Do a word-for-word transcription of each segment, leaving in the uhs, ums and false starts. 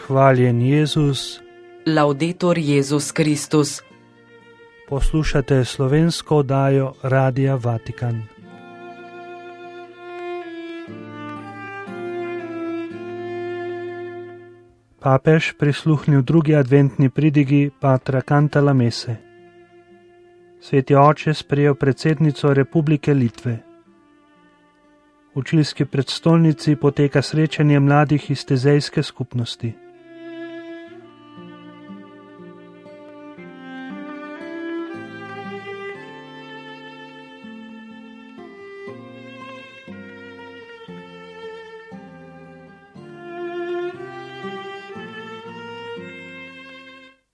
Hvaljen Jezus. Laudetur Jezus Kristus. Poslušate slovensko oddajo Radia Vatikan. Papež prisluhnil drugi adventni pridigi patra Cantalamesse. Sveti oče sprejel predsednico Republike Litve. V čilski prestolnici poteka srečanje mladih iz tezejske skupnosti.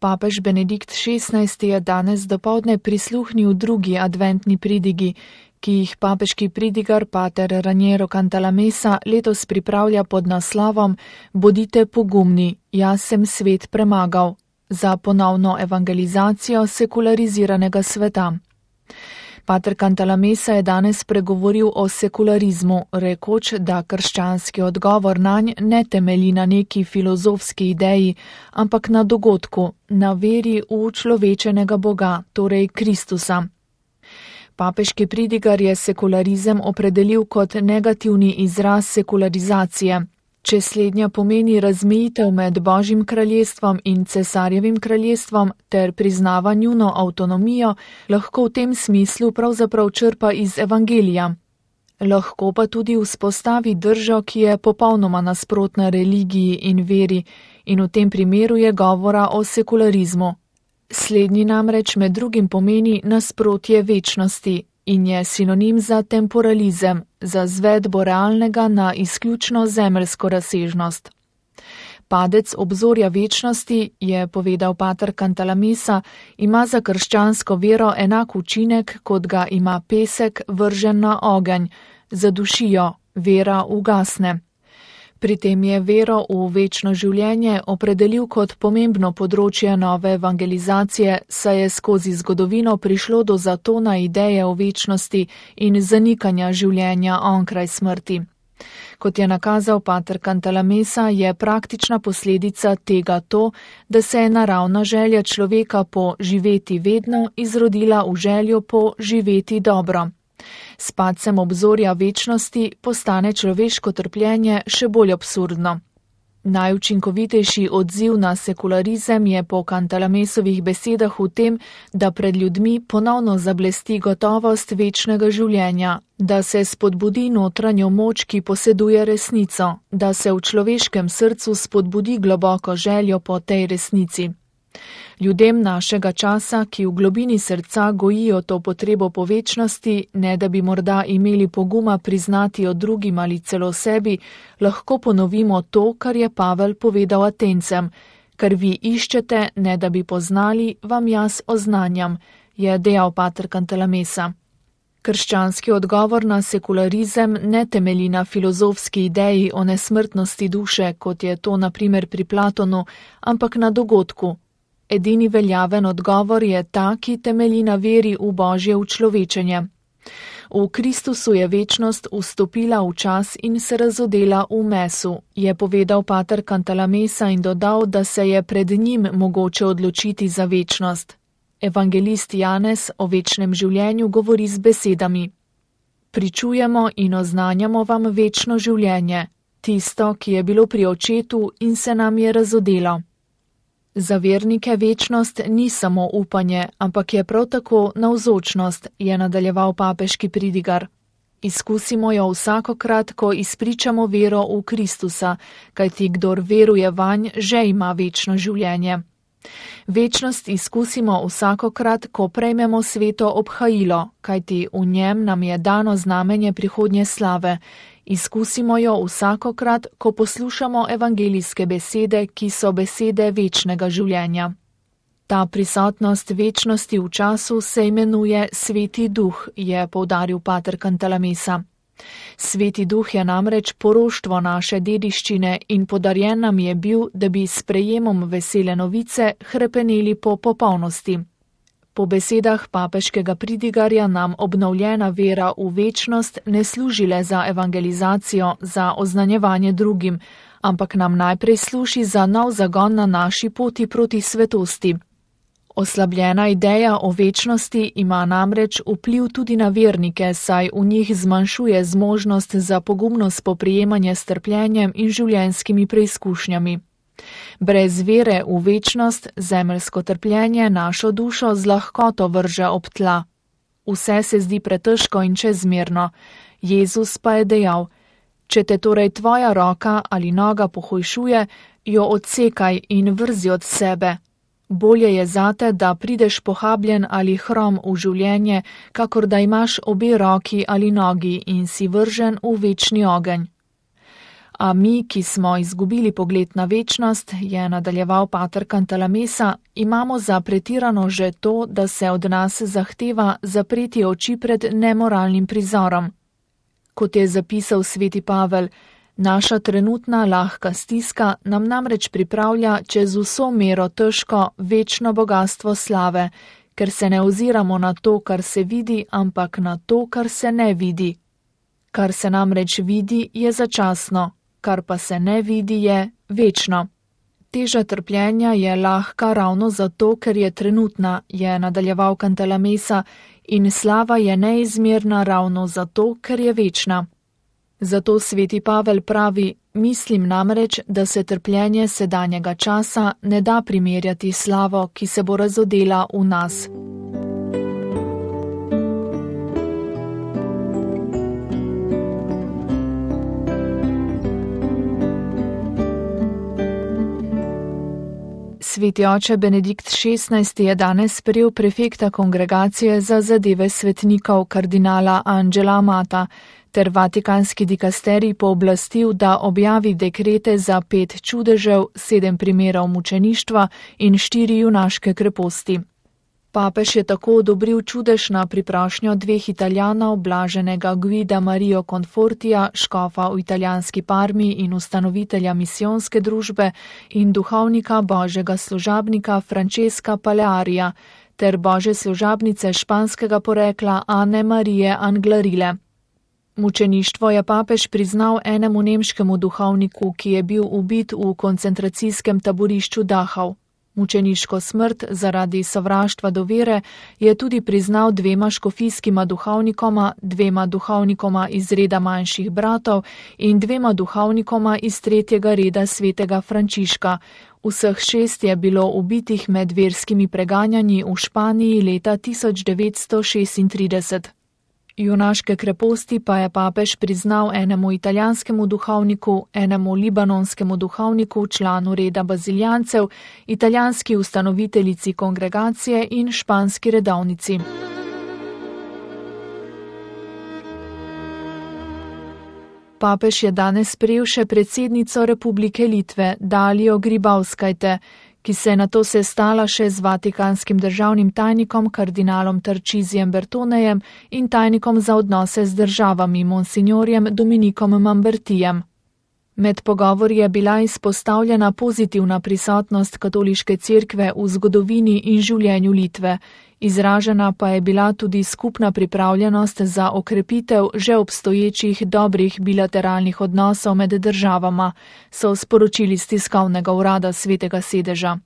Papež Benedikt šestnajsti je danes dopoldne prisluhnil drugi adventni pridigi, ki jih papeški pridigar pater Raniero Cantalamessa letos pripravlja pod naslovom Bodite pogumni, jaz sem svet premagal, za ponovno evangelizacijo sekulariziranega sveta. Pater Cantalamessa je danes pregovoril o sekularizmu, rekoč, da krščanski odgovor nanj ne temelji na neki filozofski ideji, ampak na dogodku, na veri v človečenega Boga, torej Kristusa. Papeški pridigar je sekularizem opredelil kot negativni izraz sekularizacije. Če slednja pomeni razmejitev med Božjim kraljestvom in cesarjevim kraljestvom ter priznava njuno avtonomijo, lahko v tem smislu pravzaprav črpa iz evangelija. Lahko pa tudi vzpostavi držo, ki je popolnoma nasprotna religiji in veri, in v tem primeru je govora o sekularizmu. Slednji namreč med drugim pomeni nasprotje večnosti in je sinonim za temporalizem, za zvedbo realnega na izključno zemeljsko razsežnost. Padec obzorja večnosti, je povedal pater Cantalamessa, ima za krščansko vero enak učinek, kot ga ima pesek vržen na ogenj, zadušijo, vera ugasne. Pri tem je vero v večno življenje opredelil kot pomembno področje nove evangelizacije, saj je skozi zgodovino prišlo do zatona ideje o večnosti in zanikanja življenja onkraj smrti. Kot je nakazal pater Cantalamessa, je praktična posledica tega to, da se je naravna želja človeka po živeti vedno izrodila v željo po živeti dobro. S padcem obzorja večnosti postane človeško trpljenje še bolj absurdno. Najučinkovitejši odziv na sekularizem je po Cantalamessovih besedah v tem, da pred ljudmi ponovno zablesti gotovost večnega življenja, da se spodbudi notranjo moč, ki poseduje resnico, da se v človeškem srcu spodbudi globoko željo po tej resnici. Ljudem našega časa, ki v globini srca gojijo to potrebo po večnosti, ne da bi morda imeli poguma priznati o drugim ali celo sebi, lahko ponovimo to, kar je Pavel povedal Atencem, kar vi iščete, ne da bi poznali, vam jaz oznanjam, je dejal pater Cantalamessa. Krščanski odgovor na sekularizem ne temelji na filozofski ideji o nesmrtnosti duše, kot je to na primer pri Platonu, ampak na dogodku. Edini veljaven odgovor je ta, ki temelji na veri v Božje učlovečenje. V Kristusu je večnost vstopila v čas in se razodela v mesu, je povedal pater Cantalamessa in dodal, da se je pred njim mogoče odločiti za večnost. Evangelist Janez o večnem življenju govori z besedami: Pričujemo in oznanjamo vam večno življenje, tisto, ki je bilo pri očetu in se nam je razodelo. Za vernike večnost ni samo upanje, ampak je prav tako navzočnost, je nadaljeval papeški pridigar. Izkusimo jo vsakokrat, ko izpričamo vero v Kristusa, kajti kdor veruje vanj, že ima večno življenje. Večnost izkusimo vsakokrat, ko prejmemo sveto obhajilo, kajti v njem nam je dano znamenje prihodnje slave. Izkusimo jo vsakokrat, ko poslušamo evangelijske besede, ki so besede večnega življenja. Ta prisotnost večnosti v času se imenuje Sveti Duh, je poudaril pater Cantalamessa. Sveti Duh je namreč poroštvo naše dediščine in podarjen nam je bil, da bi s sprejemom vesele novice hrepeneli po popolnosti. Po besedah papeškega pridigarja nam obnovljena vera v večnost ne služi le za evangelizacijo, za oznanjevanje drugim, ampak nam najprej služi za nov zagon na naši poti proti svetosti. Oslabljena ideja o večnosti ima namreč vpliv tudi na vernike, saj v njih zmanjšuje zmožnost za pogumno spoprijemanje s trpljenjem in življenjskimi preizkušnjami. Brez vere v večnost zemeljsko trpljenje našo dušo z lahkoto vrže ob tla. Vse se zdi pretežko in čezmerno. Jezus pa je dejal: če te torej tvoja roka ali noga pohujšuje, jo odsekaj in vrzi od sebe. Bolje je zate, da prideš pohabljen ali hrom v življenje, kakor da imaš obe roki ali nogi in si vržen v večni ogenj. A mi, ki smo izgubili pogled na večnost, je nadaljeval pater Cantalamessa, imamo za pretirano že to, da se od nas zahteva zapreti oči pred nemoralnim prizorom. Kot je zapisal sveti Pavel, naša trenutna lahka stiska nam namreč pripravlja čez vso mero težko večno bogastvo slave, ker se ne oziramo na to, kar se vidi, ampak na to, kar se ne vidi. Kar se namreč vidi, je začasno, kar pa se ne vidi, je večno. Teža trpljenja je lahka ravno zato, ker je trenutna, je nadaljeval Cantalamessa, in slava je neizmerna ravno zato, ker je večna. Zato sveti Pavel pravi: mislim namreč, da se trpljenje sedanjega časa ne da primerjati slavo, ki se bo razodela v nas. Sveti oče Benedikt šestnajsti je danes sprejel prefekta kongregacije za zadeve svetnikov kardinala Angela Amata ter vatikanski dikasterij pooblastil, da objavi dekrete za pet čudežev, sedem primerov mučeništva in štiri junaške kreposti. Papež je tako odobril čudež na priprošnjo dveh Italijanov, blaženega Guida Mario Confortija, škofa v italijanski Parmi in ustanovitelja misijonske družbe, in duhovnika božjega služabnika Francesca Palearija ter božje služabnice španskega porekla Ane Marije Anglarile. Mučeništvo je papež priznal enemu nemškemu duhovniku, ki je bil ubit v koncentracijskem taborišču Dachau. Mučeniško smrt zaradi sovraštva do vere je tudi priznal dvema škofijskima duhovnikoma, dvema duhovnikoma iz reda manjših bratov in dvema duhovnikoma iz tretjega reda svetega Frančiška. Vseh šest je bilo ubitih med verskimi preganjanji v Španiji leta tisoč devetsto šestintrideset. Junaške kreposti pa je papež priznal enemu italijanskemu duhovniku, enemu libanonskemu duhovniku, članu reda baziljancev, italijanski ustanoviteljici kongregacije in španski redovnici. Papež je danes sprejel še predsednico Republike Litve, Dalijo Grybauskajte, ki se je nato sestala še z vatikanskim državnim tajnikom kardinalom Tarčizijem Bertonejem in tajnikom za odnose z državami monsignorjem Dominikom Mambertijem. Med pogovori je bila izpostavljena pozitivna prisotnost katoliške cerkve v zgodovini in življenju Litve, izražena pa je bila tudi skupna pripravljenost za okrepitev že obstoječih dobrih bilateralnih odnosov med državama, so sporočili z tiskovnega urada Svetega sedeža.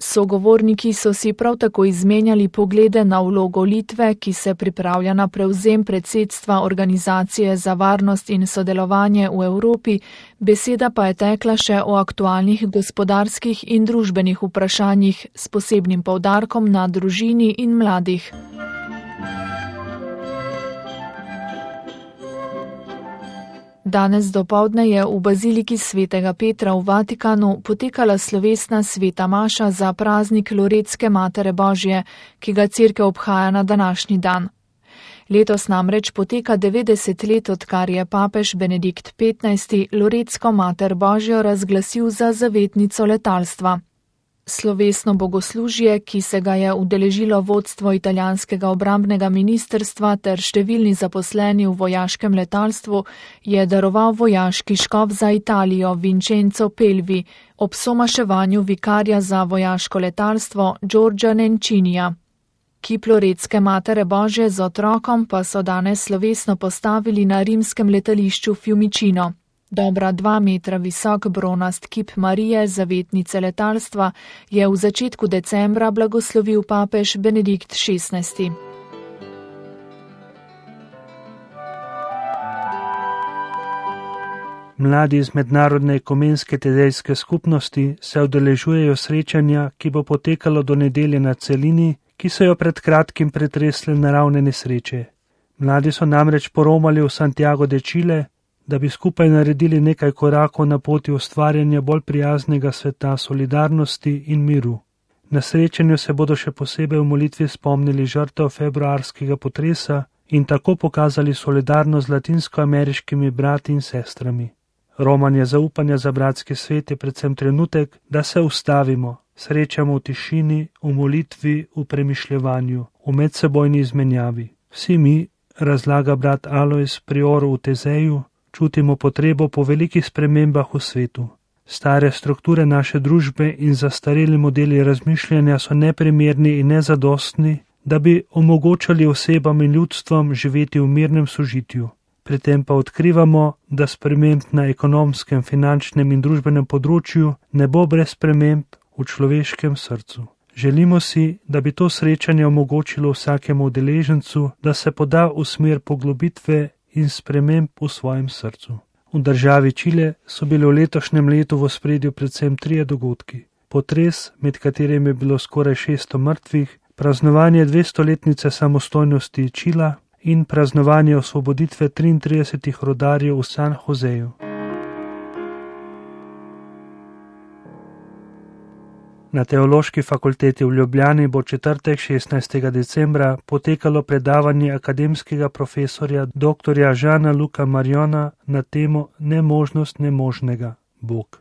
Sogovorniki so si prav tako izmenjali poglede na vlogo Litve, ki se pripravlja na prevzem predsedstva Organizacije za varnost in sodelovanje v Evropi, beseda pa je tekla še o aktualnih gospodarskih in družbenih vprašanjih s posebnim poudarkom na družini in mladih. Danes dopoldne je v baziliki svetega Petra v Vatikanu potekala slovesna sveta maša za praznik Loretske Matere Božje, ki ga cerkev obhaja na današnji dan. Letos namreč poteka devetdeset let, odkar je papež Benedikt petnajsti Loretsko Mater Božjo razglasil za zavetnico letalstva. Slovesno bogoslužje, ki se ga je udeležilo vodstvo italijanskega obrambnega ministrstva ter številni zaposleni v vojaškem letalstvu, je daroval vojaški škof za Italijo Vincenzo Pelvi ob somaševanju vikarja za vojaško letalstvo Giorgia Nencinija. Kip Loretske Matere Božje z otrokom pa so danes slovesno postavili na rimskem letališču Fiumicino. Dobra dva metra visok bronast kip Marije, zavetnice letalstva, je v začetku decembra blagoslovil papež Benedikt šestnajsti. Mladi iz Mednarodne ekumenske tedejske skupnosti se udeležujejo srečanja, ki bo potekalo do nedelje na celini, ki so jo pred kratkim pretresle naravne nesreče. Mladi so namreč poromali v Santiago de Chile, da bi skupaj naredili nekaj korakov na poti ustvarjanja bolj prijaznega sveta solidarnosti in miru. Na srečanju se bodo še posebej v molitvi spomnili žrtev februarskega potresa in tako pokazali solidarnost z latinskoameriškimi brati in sestrami. Romanje zaupanja za bratski svet je predvsem trenutek, da se ustavimo, srečamo v tišini, v molitvi, v premišljevanju, v medsebojni izmenjavi. Vsi mi, razlaga brat Alojz Prior v Tezeju, čutimo potrebo po velikih spremembah v svetu. Stare strukture naše družbe in zastareli modeli razmišljanja so neprimerni in nezadostni, da bi omogočali osebam in ljudstvom živeti v mirnem sožitju. Pri tem pa odkrivamo, da sprememb na ekonomskem, finančnem in družbenem področju ne bo brez sprememb v človeškem srcu. Želimo si, da bi to srečanje omogočilo vsakemu udeležencu, da se poda v smer poglobitve in sprememb v svojem srcu. V državi Čile so bili v letošnjem letu v ospredju predvsem trije dogodki. Potres, med katerim je bilo skoraj šeststo mrtvih, praznovanje dvestoletnice samostojnosti Čila in praznovanje osvoboditve triintridesetih rodarjev v San Joseju. Na Teološki fakulteti v Ljubljani bo četrtek šestnajstega decembra potekalo predavanje akademskega profesorja doktorja Jeana Luca Mariona na temo Nemožnost nemožnega, Bog.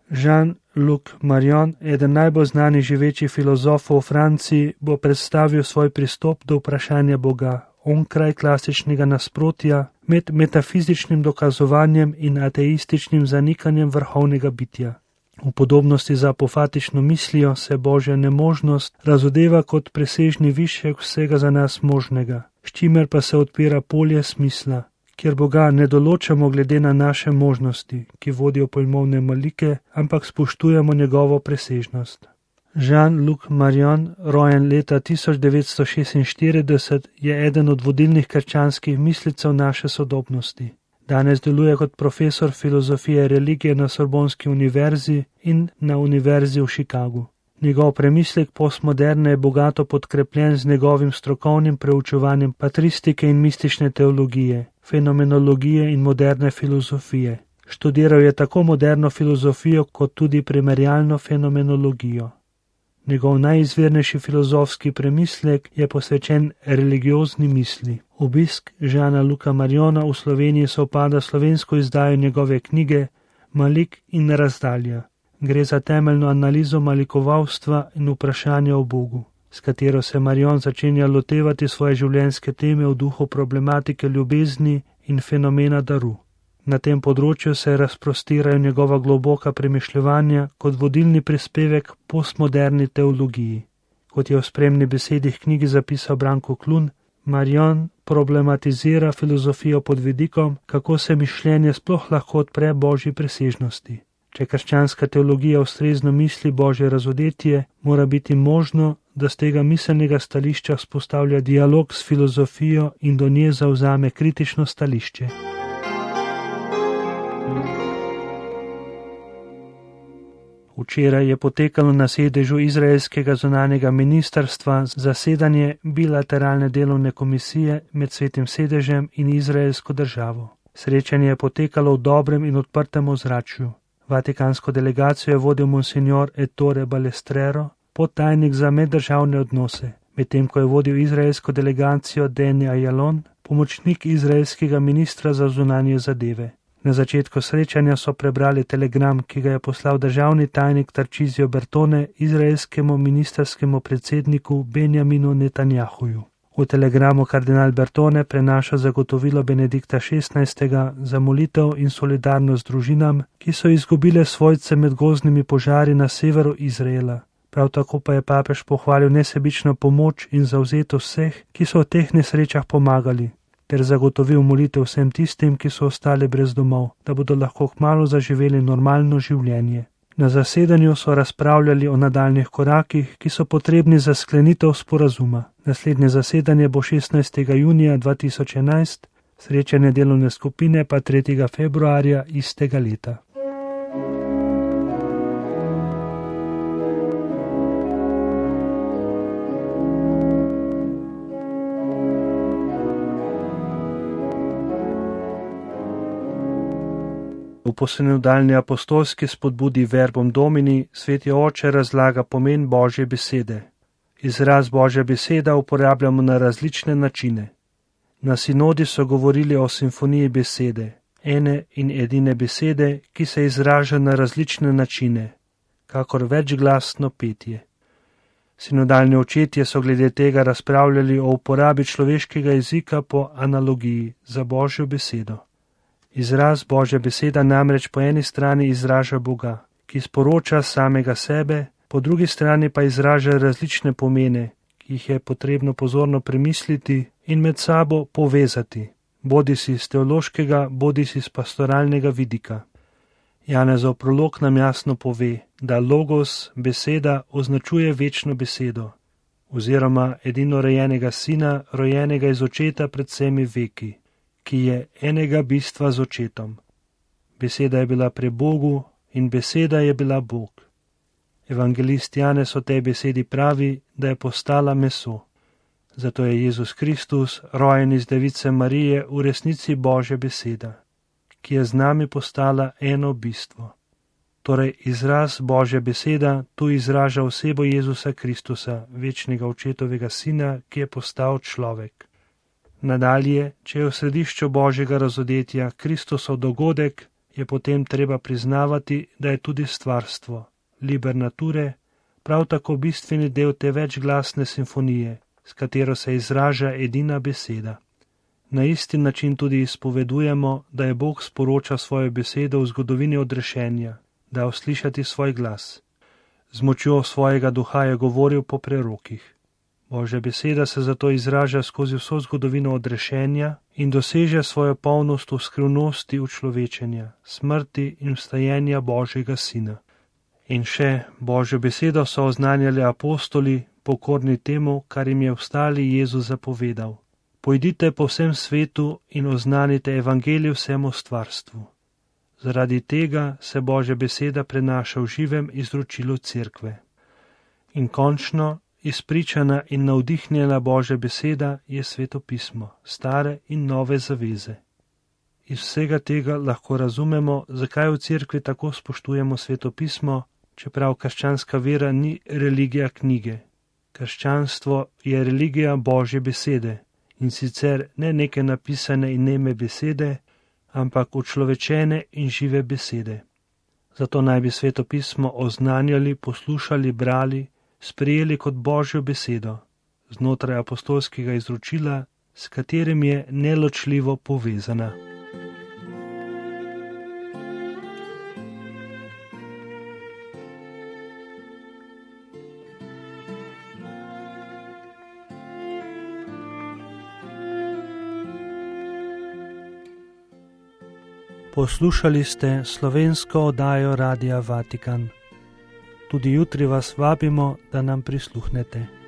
Jean-Luc Marion, eden najbolj znanih živečih filozofov v Franciji, bo predstavil svoj pristop do vprašanja Boga, onkraj klasičnega nasprotja med metafizičnim dokazovanjem in ateističnim zanikanjem vrhovnega bitja. V podobnosti z apofatično mislijo se Božja nemožnost razodeva kot presežni višek vsega za nas možnega, s čimer pa se odpira polje smisla, kjer Boga ne določamo glede na naše možnosti, ki vodijo pojmovne malike, ampak spoštujemo njegovo presežnost. Jean-Luc Marion, rojen leta tisoč devetsto šestinštirideset, je eden od vodilnih krščanskih mislicev naše sodobnosti. Danes deluje kot profesor filozofije religije na Sorbonski univerzi in na univerzi v Chicagu. Njegov premislek postmoderne je bogato podkrepljen z njegovim strokovnim preučevanjem patristike in mistične teologije, fenomenologije in moderne filozofije. Študiral je tako moderno filozofijo kot tudi primerjalno fenomenologijo. Njegov najizvirnejši filozofski premislek je posvečen religiozni misli. Obisk Jeana Luca Mariona v Sloveniji sovpada slovensko izdajo njegove knjige Malik in razdalja. Gre za temeljno analizo malikovalstva in vprašanja o Bogu, s katero se Marion začenja lotevati svoje življenjske teme v duhu problematike ljubezni in fenomena daru. Na tem področju se razprostirajo njegova globoka premišljevanja kot vodilni prispevek postmoderni teologiji. Kot je v spremni besedi knjigi zapisal Branko Klun, Marion problematizira filozofijo pod vidikom, kako se mišljenje sploh lahko odpre Božji presežnosti. Če krščanska teologija ustrezno misli Božje razodetje, mora biti možno, da z tega miselnega stališča vzpostavlja dialog s filozofijo in do nje zavzame kritično stališče. Včeraj je potekalo na sedežu izraelskega zunanjega ministrstva zasedanje bilateralne delovne komisije med Svetim sedežem in izraelsko državo. Srečanje je potekalo v dobrem in odprtem ozračju. Vatikansko delegacijo je vodil monsignor Ettore Balestrero, podtajnik za meddržavne odnose, medtem ko je vodil izraelsko delegacijo Deni Ayalon, pomočnik izraelskega ministra za zunanje zadeve. Na začetku srečanja so prebrali telegram, ki ga je poslal državni tajnik Tarcísio Bertone izraelskemu ministerskemu predsedniku Benjaminu Netanjahuju. V telegramu kardinal Bertone prenaša zagotovilo Benedikta šestnajstega za molitev in solidarnost družinam, ki so izgubile svojce med gozdnimi požari na severu Izraela. Prav tako pa je papež pohvalil nesebično pomoč in zavzetost vseh, ki so v teh nesrečah pomagali. ter zagotovil molitev vsem tistim, ki so ostali brez domov, da bodo lahko kmalu zaživeli normalno življenje. Na zasedanju so razpravljali o nadaljnih korakih, ki so potrebni za sklenitev sporazuma. Naslednje zasedanje bo šestnajstega junija dva tisoč enajst, srečanje delovne skupine pa tretjega februarja istega leta. V posnedalni apostolski spodbudi Verbum Domini Sveti Oče razlaga pomen Božje besede. Izraz Božja beseda uporabljamo na različne načine. Na sinodi so govorili o simfoniji besede, ene in edine besede, ki se izraža na različne načine, kakor večglasno petje. Sinodalni očetje so glede tega razpravljali o uporabi človeškega jezika po analogiji za Božjo besedo. Izraz Božja beseda namreč po eni strani izraža Boga, ki sporoča samega sebe, po drugi strani pa izraža različne pomene, ki jih je potrebno pozorno premisliti in med sabo povezati, bodisi z teološkega, bodisi z pastoralnega vidika. Janezov prolog nam jasno pove, da logos, beseda, označuje večno besedo, oziroma edinorojenega sina, rojenega iz očeta pred vsemi veki, ki je enega bistva z očetom. Beseda je bila pri Bogu in beseda je bila Bog. Evangelist Janez o tej besedi pravi, da je postala meso. Zato je Jezus Kristus, rojen iz device Marije, v resnici Božja beseda, ki je z nami postala eno bistvo. Torej izraz Božja beseda tu izraža osebo Jezusa Kristusa, večnega očetovega sina, ki je postal človek. Nadalje, če je v središču Božjega razodetja Kristusov dogodek, je potem treba priznavati, da je tudi stvarstvo, liber nature, prav tako bistveni del te večglasne simfonije, s katero se izraža edina beseda. Na isti način tudi izpovedujemo, da je Bog sporočal svojo besedo v zgodovini odrešenja, da uslišati svoj glas. Z močjo svojega duha je govoril po prerokih. Božja beseda se zato izraža skozi vso zgodovino odrešenja in doseže svojo polnost v skrivnosti učlovečenja, smrti in vstajenja Božjega sina. In še Božjo besedo so oznanjali apostoli, pokorni temu, kar jim je vstali Jezus zapovedal. Pojdite po vsem svetu in oznanite evangelij vsemu stvarstvu. Zaradi tega se Božja beseda prenaša v živem izročilu cerkve. In končno, izpričana in navdihnjena Božja beseda je Sveto pismo, stare in nove zaveze. Iz vsega tega lahko razumemo, zakaj v cerkvi tako spoštujemo Sveto pismo, čeprav krščanska vera ni religija knjige. Krščanstvo je religija Božje besede in sicer ne neke napisane in neme besede, ampak učlovečene in žive besede. Zato naj bi Sveto pismo oznanjali, poslušali, brali, sprejeli kot Božjo besedo, znotraj apostolskega izročila, s katerim je neločljivo povezana. Poslušali ste slovensko oddajo Radia Vatikan. Tudi jutri vas vabimo, da nam prisluhnete.